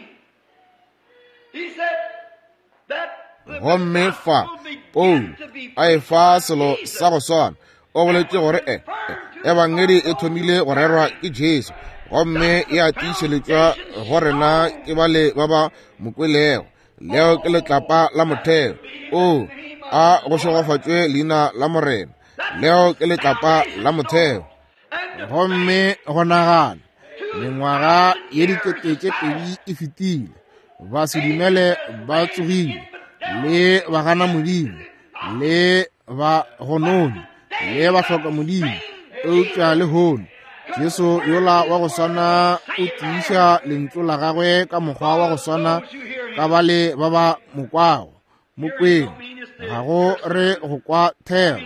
He said that the
Gomme fa
gospel began
Paulo
to be
a e fa selo sa go swana. O boletše gore e ebangedi e thomile go rerwa ke Jesu, gomme ya tiišeletšwa go rena ke bale ba ba mo kwelego. Leo ke letlapa la motheo. O a go šegofatšwe leina la Morena. Leo ke letlapa la motheo. Gomme go nagana mengwaga ye dikete tše pedi e fetile, ba se dumele ba tsogile, le ba gana Modimo, le ba gononi, le ba hloka Modimo. Eupša lehono Jesu yola wa go swana o tiiša lentšu la gagwe ka mokgwa wa go swana ka bale ba ba mo kwago. Mokweng ga go re go kwa thero,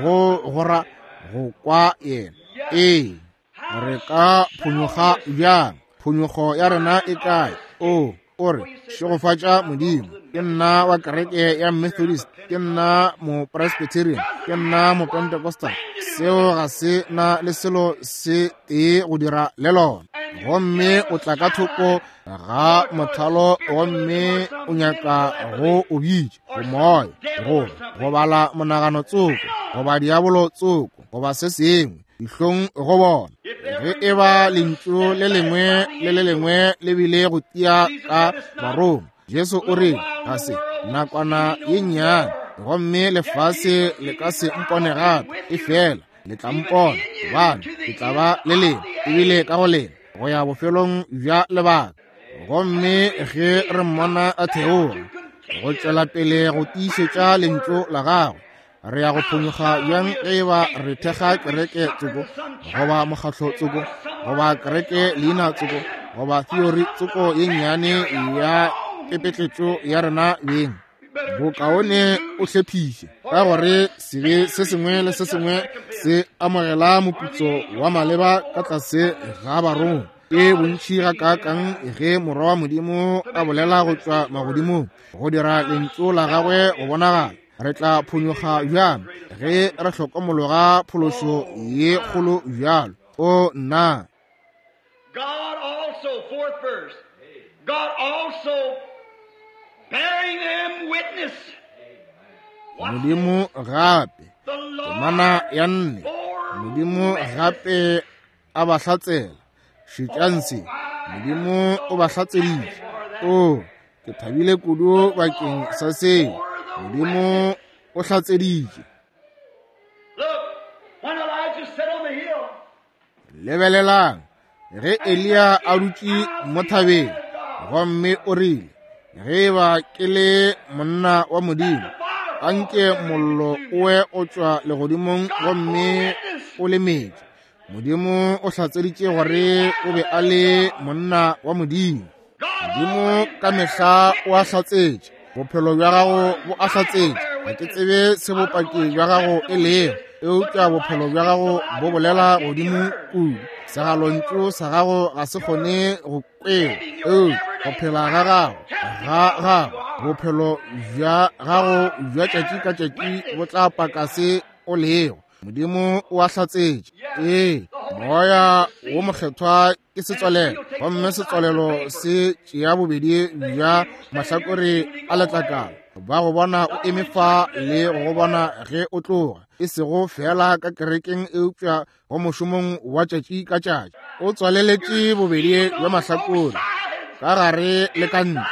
go gora go kwa yena. Ee, re ka phonyokga bjang? Phonyokgo ya rena e kae? O o re šegofatša Modimo, ke nna wa kereke ya Methodist, ke nna Mopresbyterian, ke nna Mopentecostal. Seo ga se na le selo se tee go dira le lona. Gomme o tla ka thoko ga mothalo, gomme o nyaka go o bitša go moya, go go bala monagano tsoko, goba diabolo tsoko, goba se sengwe, dihlong go bona. Ge e ba lentšu le lengwe le le lengwe le bile go tia ka Baroma, Jesu o rile, ga se nakwana ye nnyane, gomme lefase le ka se mpone gape, efela le tla mpona, gobane ke tla ba le lena, ebile ka go lena, go ya bofelong bja lebaka. Gomme ge re mmona a theoga go tšwela pele go tiišetša lentšu la gagwe, re ya go phonyokga bjang ge e ba re thekga kereke tsoko, goba mokgatlo tsoko, goba kereke leina tsoko, goba theory tsoko ye nnyane ya pepetletšo ya rena beng? Bokaone o hlephiše, ka gore sebe se sengwe le se sengwe se amogela moputso wa maleba ka tlase ga barongwa. Ke bontši gakaakang ge Morwa wa Modimo a bolela go tšwa magodimong go dira lentšu la gagwe go bonagala. Re tla phonyokga bjang ge re hlokomologa phološo ye kgolo bjalo? O nna!
God also, fourth verse, God also bearing them witness.
Modimo gape,
The Lord
temana ya nne,
bore
Modimo gape a ba hlatsela. Šetšang se, Modimo o ba hlatseditše. O, ke thabile kudu bakeng sa seo. Modimo o hlatseditše.
Look, when Elijah sat on the hill,
Lebelelang, ge Eliya a dutše mo thabeng, gomme o rile, ge eba ke le monna wa Modimo, anke mollo o we o tšwa legodimong gomme o le metše. Modimo o hlatseditše gore o be a le monna wa Modimo. Modimo ka mehla o a hlatsetše. Bophelo bja gago bo a hlatsetše. Ga ke tsebe se bopaki bja gago e lego, eupša bophelo bja gago bo bolela godimo kudu. Segalontšu sa gago ga se kgone go kwewa, eupša go phela ga gago ga gago, bophelo bja gago bja tšatši ka tšatši bo tla paka se o lego. Modimo o a hlatsetše. Ee, Moya wo Mokgethwa ke setswalelo, gomme setswalelo se tšea bobedi bja mahlakore a letlakala. Ba go bona o eme fa le go go bona ge o tloga, e sego fela ka kerekeng eupša go mošomong wa tšatši ka tšatši. O tswaleletše bobedi bja mahlakore, ka gare le ka ntle,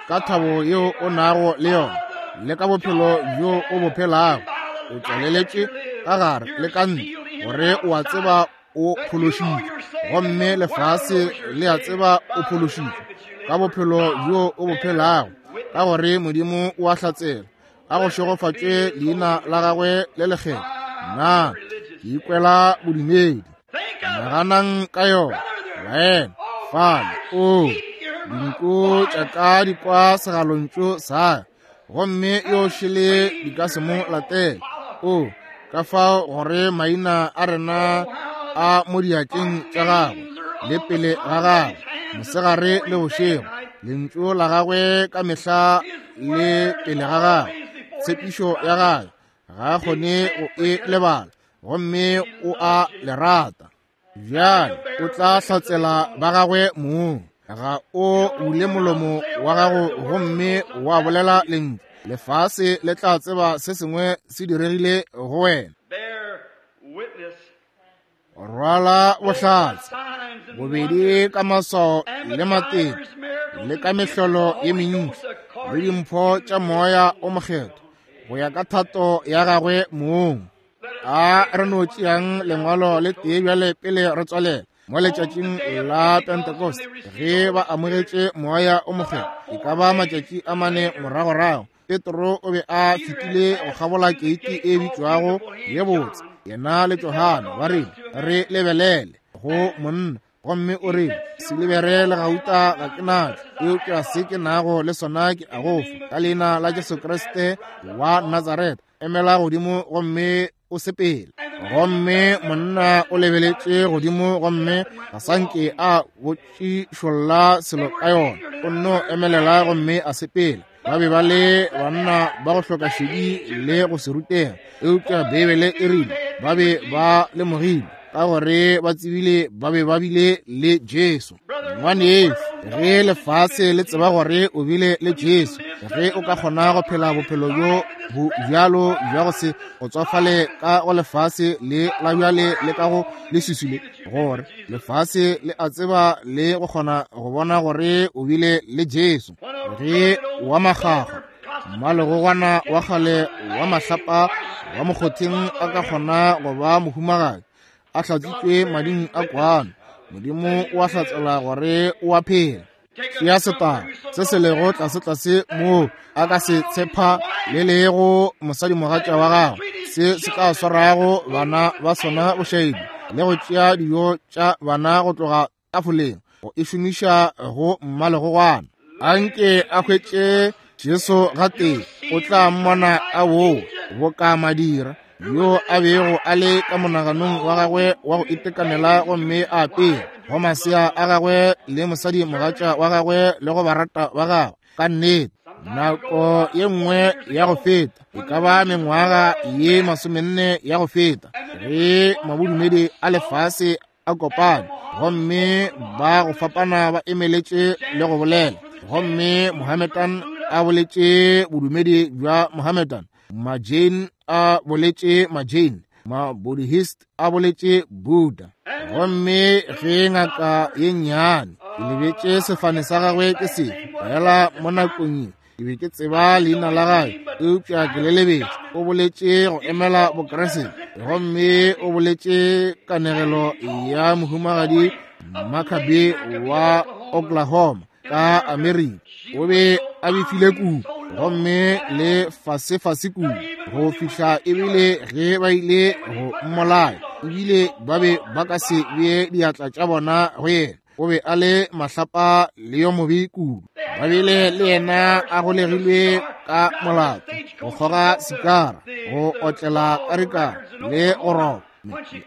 ka thabo yeo o nago le yona, le ka bophelo bjo o bo phelago. O tswaleletše ka gare le ka ntle, gore o a tseba o phološitšwe, gomme lefase le a tseba o phološitšwe ka bophelo bjo o bo phelago, ka gore Modimo o a hlatsela. A go šegofatšwe leina la gagwe le lekgethwa. Nna ke ikwela bodumedi. Naganang ka yona, baena. Fale, o dinku tša ka di kwa segalontšu sa ka, gomme yo šele di ka se mo latele. O ka fao gore maina a rena a mo diatleng tša gagwe le pele ga gagwe. mosegare le bošego, lentšu la gagwe ka mehla le pele ga gagwe, tshepišo ya gagwe ga a kgone go e lebala, gomme o a le rata. Bjale o tla hlatsela ba gagwe mong. Ga o bule molomo wa gago gomme wa bolela lentšu, lefase le tla tseba se sengwe se diregile go wena. Rwala bohlatse bobedi ka maswao le matete le ka mehlolo ye mentši le dimpho tša moya o mokgethwa go ya ka thato ya gagwe mong. A re no tšeang lengwalo le tee bjale pele re tswalela. Mo letšatšing la Pentecost ge ba amogetše moya o mokgethwa, e ka ba matšatši a mane moragorago, Petro o be a fetile go kgabola keiti e bitšwago ye botse, yena le Johane ba rile, re lebelele go monna, gomme o rile, silibere le gauta ga ke natšo, eupša se ke nago le sona ke a go fa, ka leina la Jesu Kriste wa Nazareta, emela godimo gomme o sepele. Gomme monna o lebeletše godimo gomme ga sanke a botšišolla selo ka yona, o nno emelela gomme a sepela. Ba be ba le banna ba go hloka šedi le go se rutega, eupša Beibele e rile ba be ba lemogile ka gore ba tsebile ba be ba bile le Jesu. Ngwanešu, ge lefase le tseba gore o bile le Jesu, ge o ka kgona go phela bophelo bjo bo bjalo bja go se go tswafale ka go lefase le la bjale le ka go leswiswi le, gore lefase le a tseba le go kgona go bona gore o bile le Jesu. Ge wa makgakga mmalegogwana wa kgale wa mahlapa wa mokgotheng a ka kgona go ba mohumagadi a hlatsitšwe mading a kwano, Modimo o a hlatsela gore o a phela. Tšea setaba se se lego tlasetlase moo a ka se tshepa le lego mosadimogatša wa gagwe, se se ka swarago bana ba sona bošaedi le go tšea dijo tša bana go tloga tafoleng go e šomiša go mmalegogwana. Anke a hwetše Jesu gatee, o tla mmona a woo boka madira yo a bego a le ka monaganong wa gagwe wa go itekanela, gomme a apea go masea a gagwe le mosadi mogatša wa gagwe le go barata ba gagwe. Ka nnete, nako ye nngwe ya go feta, e ka ba mengwaga ye masomenne ya go feta, ge mabodumedi a lefase a kopane gomme ba go fapana ba emeletše le go bolela, gomme Mohammedan a boletše bodumedi bja Mohammedan, Majain a boletše Majain, Mabuddhist a boletše Buddha. Gomme ge ngaka ye nnyane ke lebetše sefane sa gagwe ke sefe, fela mo nakong ye ke be ke tseba leina la gagwe eupša ke le lebetše, o boletše go emela Bokreste, gomme o boletše kanegelo ya mohumagadi Makabe wa Oklahoma ka Amerika. O be a befile kudu gomme le fasefase kudu go fihla ebile ge ba ile go mmolaya, ebile ba be ba ka se bee diatla tša bona go yena. O be a le mahlapa le yo mobe kudu. Ba bile le yena a golegilwe ka molato, go kgoga sikara, go otlela karikara le go roba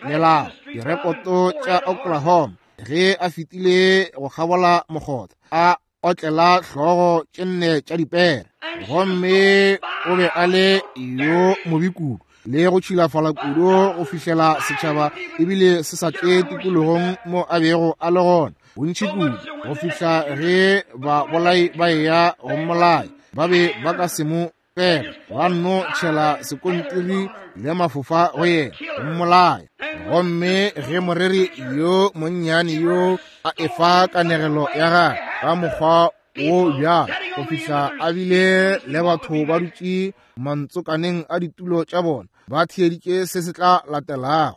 melao direkoto tša Oklahoma. Ge a fetile go kgabola mokgotha, a otlela hlogo tše nne tša dipere, gomme o be a le yo mobe kudu le go tšhilafala kudu go fihlela setšhaba ebile se sa tle tikologong mo a bego a le gona bontši kudu, go fihla ge babolai ba eya go mmolaya ba be ba ka se mo pega, ba nno tšhela sekontiri le mafofa go yena go mmolaya. Gomme ge moreri yo monnyane yo a efa kanegelo ya gagwe ka mokgwa wo bjalo, go fihla a bile le batho ba dutše mantsokaneng a ditulo tša bona ba theeditše se se tla latelago.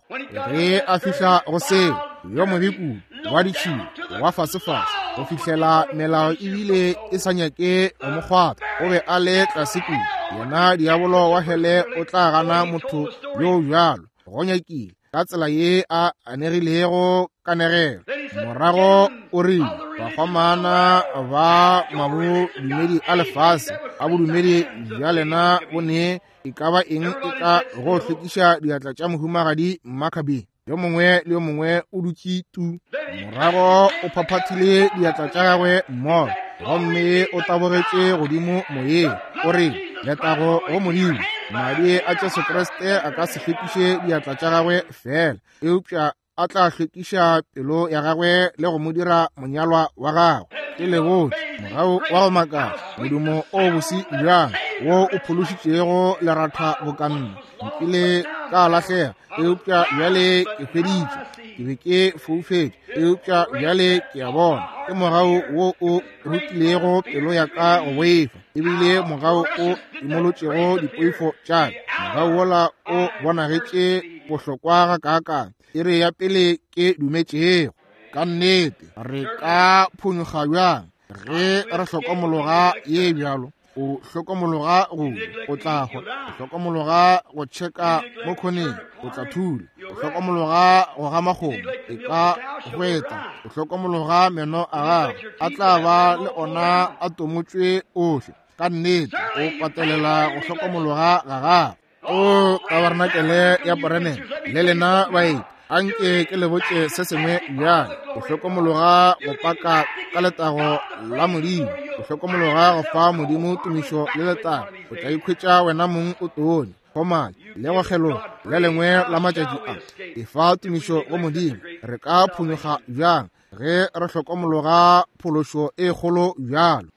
Ge a fihla go seo, yo mobe kudu wa ditšhila wa fasefase, go fihlela melao ebile e sa nyake go mo kgwatha, o be a le tlase kudu. Yena diabolo wa hele o tla gana motho yo bjalo go nyakile ka tsela ye a anegilego kanegelo. Morago o rile bakgomana ba mabodumedi a lefase a bodumedi bja lena bo ne e ka ba eng e ka go hlwekiša diatla tša mohumagadi Makabe. Yo mongwe le yo mongwe o dutše tu. Morago o phaphathile diatla tša gagwe mmogo, gomme o tabogetše godimo moyeng. O re, letago go Modimo, madi a Jesu Kriste a ka se hlwekiše diatla tša gagwe fela, eupša a tla hlwekiša pelo ya gagwe le go mo dira monyalwa wa gagwe. Ke lebotse mogau wa go makatša, modumo o bose bjang wo o phološitšego leratha bokanna. Nkile ka lahlega, eupša bjale ke hweditšwe. Ke be ke foufetše, eupša bjale ke a bona. Ke mogau wo o rutilego pelo ya ka go boifa, ebile mogau o imolotšego dipoifo tša ka. Mogau wola o bonagetše bohlokwa gakaakang iri ya pele ke dumetšego. Ka nnete re ka phonyokga bjang ge re hlokomologa ye bjalo? O hlokomologa go o tla hwa, o hlokomologa go tšheka mo khoneng, o tla thula, o hlokomologa go gama kgomo, e ka hweta, o hlokomologa meno a gago, a tla ba le ona a tomotšwe ohle. Ka nnete o patelela go hlokomologa ga gago. O tabarnakele ya Branham le lena baeti, anke ke le botše se sengwe bjale. O hlokomologa go paka ka letago la Modimo, o hlokomologa go fa Modimo tumišo le letago, o tla ikhwetša wena mong o tonya gomane le go kgeloga le lengwe la matšatši a. Efa tumišo go Modimo. Re ka phonyokga bjang ge re hlokomologa phološo e kgolo bjalo?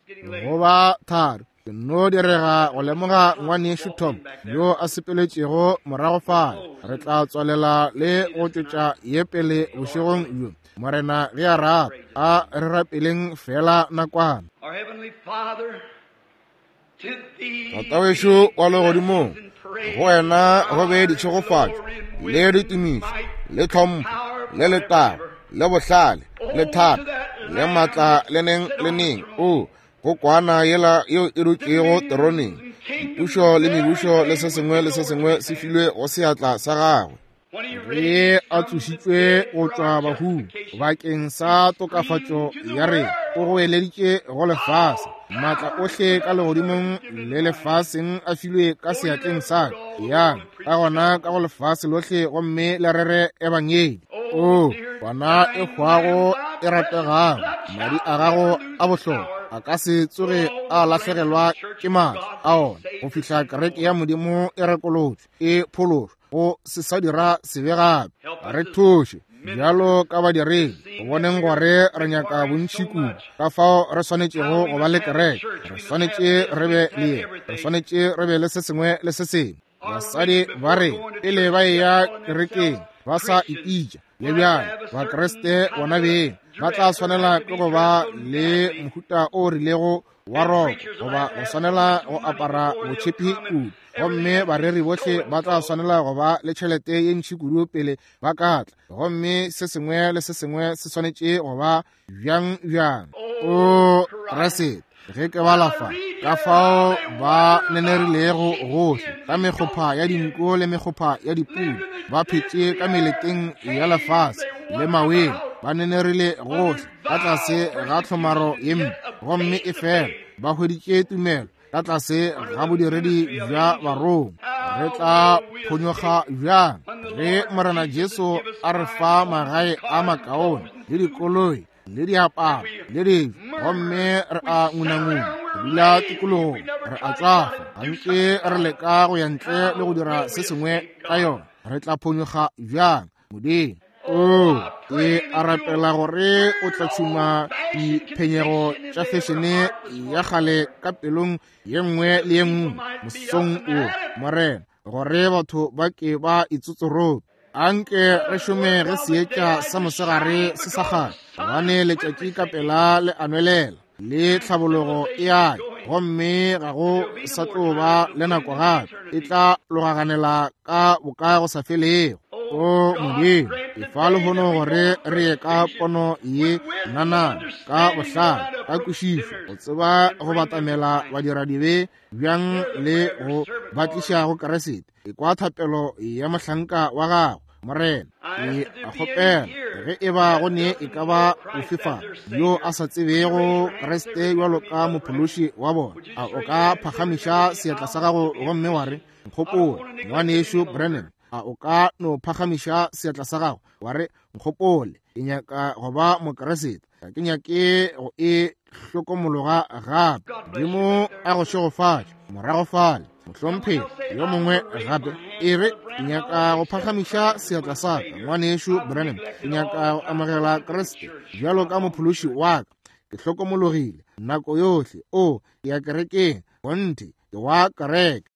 Go ba thari ke no direga go lemoga ngwanešu Tom yo a sepeletšego morago fale. Re tla tswalela le go tšwetša ye pele bošegong bjo, Morena ge a rata. A re rapeleng fela nakwana.
Tatawešo wa legodimong, go wena go be ditšhegofatšo le ditumišo le tlhompho le letago le bohlale le thato le maatla le neng le neng. O go kwana yela yeo e dutšego teroneng, dipušo le mebušo le se sengwe le se sengwe se filwe go seatla sa gagwe.
Ge a tsošitšwe go tšwa bahung bakeng sa tokafatšo ya rena, o goeleditše go lefase, maatla ohle ka legodimong le lefaseng a filwe ka seatleng sa ka. Yang ka gona ka go lefase lohle gomme le rere ebangedi. O kwana e hwago e rategago, madi a gago a bohlokwa a ka se tsoge a lahlegelwa ke maatla a ona go fihla kereke ya Modimo e rekolotšwe, e phološwa, go se sa dira sebe gape. Re thuše bjalo ka badiredi go boneng gore re nyaka bontši kudu, ka fao re swanetšego go ba le kereke. Re swanetše re be le ye, re swanetše re be le se sengwe le se sengwe. Basadi ba re pele ba eya kerekeng ba sa ipitša le bjale Bakriste bona beng ba tla swanela ke go ba le mohuta o rilego wa roko, goba go swanela go apara botšhepi kudu, gomme bareri bohle ba tla swanela go ba le tšhelete ye ntši kudu pele ba ka tla, gomme se sengwe le se sengwe se swanetše go ba bjang bjang. O Kriste, ge ke bala fa ka fao ba nenerilego gohle ka mekgopha ya dinko le mekgopha ya dipudi, ba phetše ka meleteng ya lefase le maweng, ba nenerile gohle ka tlase ga tlhomaro ye mpe, gomme e fela ba hweditše tumelo ka tlase ga bodiredi bja barongwa. Re tla phonyokga bjang ge Morena Jesu a re fa magae a makaone le dikoloi le diaparo le dijo, gomme re a ngunanguna go dula tikologong, re a tšwafa gantši re leka go ya ntle le go dira se sengwe ka yona? Re tla phonyokga bjang, Modimo? O ke a rapela gore o tla tšhuma diphenyego tša fešene ya kgale ka pelong ye nngwe le ye nngwe mosong wo, Morena, gore batho ba ke ba itsotsorope. Anke re šome ge seetša sa mosegare se sa kgale, gobane letšatši ka pela le a nwelela le tlhabologo e a ya, gomme ga go sa tlo ba le nako gape, e tla logaganela ka boka go sa felego. O Modimo, efa lehono gore re ye ka pono ye nanana, ka bohlale, ka kwešišo, go tseba go batamela badiradibe bjang le go ba tliša go Kriste. Ekwa thapelo ya mohlanka wa gago, Morena. Ke a kgopela ge e ba go ne e ka ba ofe fa yo a sa tsebego Kriste bjalo ka mophološi wa bona, a o ka phagamiša seatla sa gago gomme wa re, nkgopola, ngwanešu Branham, A o ka no phagamiša seatla sa gago wa re, nkgopole, ke nyaka go ba Mokriste, ga ke nyake go e hlokomologa gape. Modimo a go šegofatše morago fale, mohlomphegi. Yo mongwe gape e re, ke nyaka go phagamiša seatla sa ka, ngwanešu Branham, ke nyaka go amogela Kriste bjalo ka mophološi wa ka. Ke hlokomologile nako yohle. O, ke ya kerekeng, kgonthe, ke wa kereke.